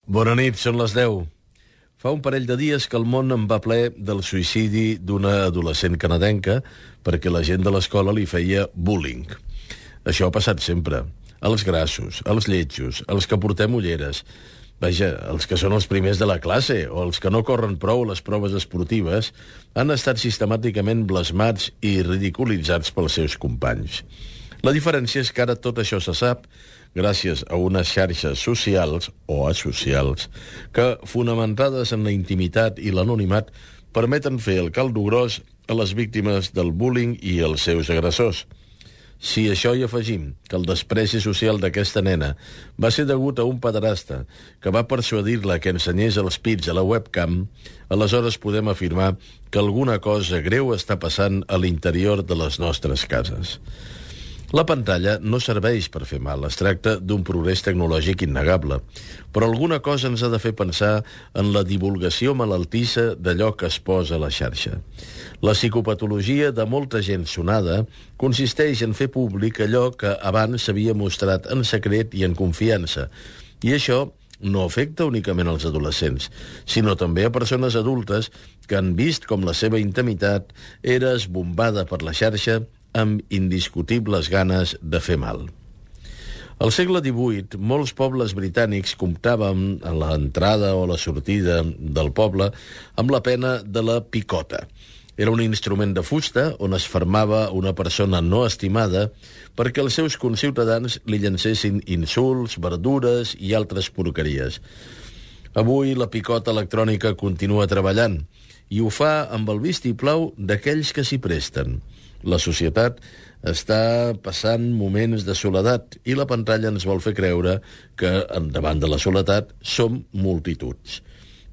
Bona nit, són les 10. Fa un parell de dies que el món en va ple del suïcidi d'una adolescent canadenca perquè la gent de l'escola li feia bullying. Això ha passat sempre. Els grassos, els lletjos, els que portem ulleres, vaja, els que són els primers de la classe o els que no corren prou a les proves esportives han estat sistemàticament blasmats i ridiculitzats pels seus companys. La diferència és que ara tot això se sap gràcies a unes xarxes socials o asocials que, fonamentades en la intimitat i l'anonimat, permeten fer el caldo gros a les víctimes del bullying i als seus agressors. Si a això hi afegim que el despreci social d'aquesta nena va ser degut a un pederasta que va persuadir-la que ensenyés els pits a la webcam, aleshores podem afirmar que alguna cosa greu està passant a l'interior de les nostres cases. La pantalla no serveix per fer mal, es tracta d'un progrés tecnològic innegable, però alguna cosa ens ha de fer pensar en la divulgació malaltissa d'allò que es posa a la xarxa. La psicopatologia de molta gent sonada consisteix en fer públic allò que abans s'havia mostrat en secret i en confiança, i això no afecta únicament als adolescents, sinó també a persones adultes que han vist com la seva intimitat era esbombada per la xarxa amb indiscutibles ganes de fer mal. Al segle XVIII, molts pobles britànics comptaven a l'entrada o a la sortida del poble amb la pena de la picota. Era un instrument de fusta on es fermava una persona no estimada perquè els seus conciutadans li llancessin insults, verdures i altres porqueries. Avui la picota electrònica continua treballant i ho fa amb el vistiplau d'aquells que s'hi presten. La societat està passant moments de soledat i la pantalla ens vol fer creure que, davant de la soledat, som multituds.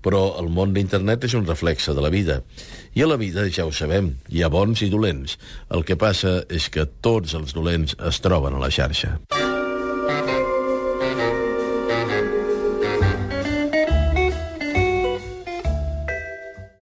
Però el món d'internet és un reflexe de la vida. I a la vida, ja ho sabem, hi ha bons i dolents. El que passa és que tots els dolents es troben a la xarxa.